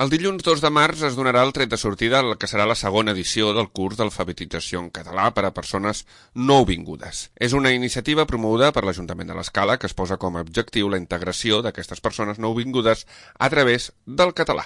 El dilluns 2 de març es donarà el tret de sortida al que serà la segona edició del curs d'alfabetització en català per a persones nouvingudes. És una iniciativa promoguda per l'Ajuntament de l'Escala que es posa com a objectiu la integració d'aquestes persones nouvingudes a través del català.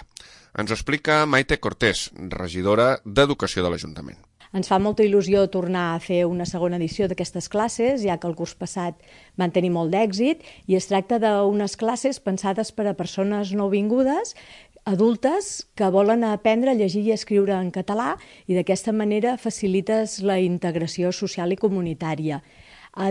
Ens ho explica Maite Cortés, regidora d'Educació de l'Ajuntament. Ens fa molta il·lusió tornar a fer una segona edició d'aquestes classes, ja que el curs passat van tenir molt d'èxit, i es tracta d'unes classes pensades per a persones nouvingudes, adultes que volen aprendre a llegir i escriure en català i d'aquesta manera facilites la integració social i comunitària.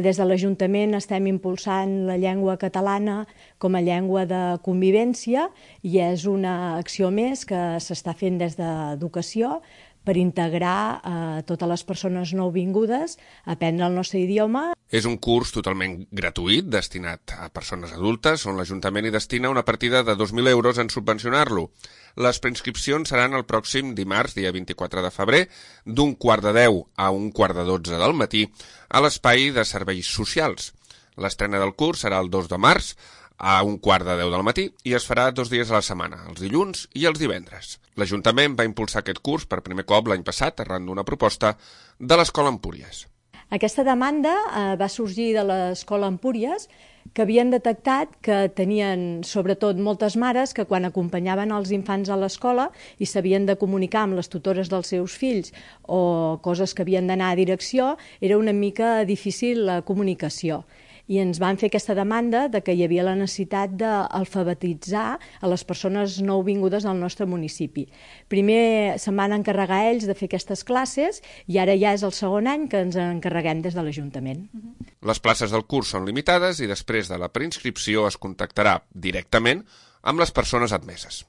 Des de l'Ajuntament estem impulsant la llengua catalana com a llengua de convivència i és una acció més que s'està fent des d'Educació per integrar totes les persones nouvingudes a aprendre el nostre idioma. És un curs totalment gratuït, destinat a persones adultes, on l'Ajuntament hi destina una partida de 2.000 euros en subvencionar-lo. Les preinscripcions seran el pròxim dimarts, dia 24 de febrer, d'un 11:15 a 11:45 del matí, a l'espai de serveis socials. L'estrena del curs serà el 2 de març, a 11:15 del matí i es farà 2 dies a la setmana, els dilluns i els divendres. L'Ajuntament va impulsar aquest curs per primer cop l'any passat arran d'una proposta de l'Escola Empúries. Aquesta demanda va sorgir de l'Escola Empúries, que havien detectat que tenien sobretot moltes mares que quan acompanyaven els infants a l'escola i s'havien de comunicar amb les tutores dels seus fills o coses que havien d'anar a direcció, era una mica difícil la comunicació. I ens van fer aquesta demanda de que hi havia la necessitat d'alfabetitzar a les persones nouvingudes al nostre municipi. Primer se'n van encarregar ells de fer aquestes classes i ara ja és el segon any que ens encarreguem des de l'Ajuntament. Les places del curs són limitades i després de la preinscripció es contactarà directament amb les persones admeses.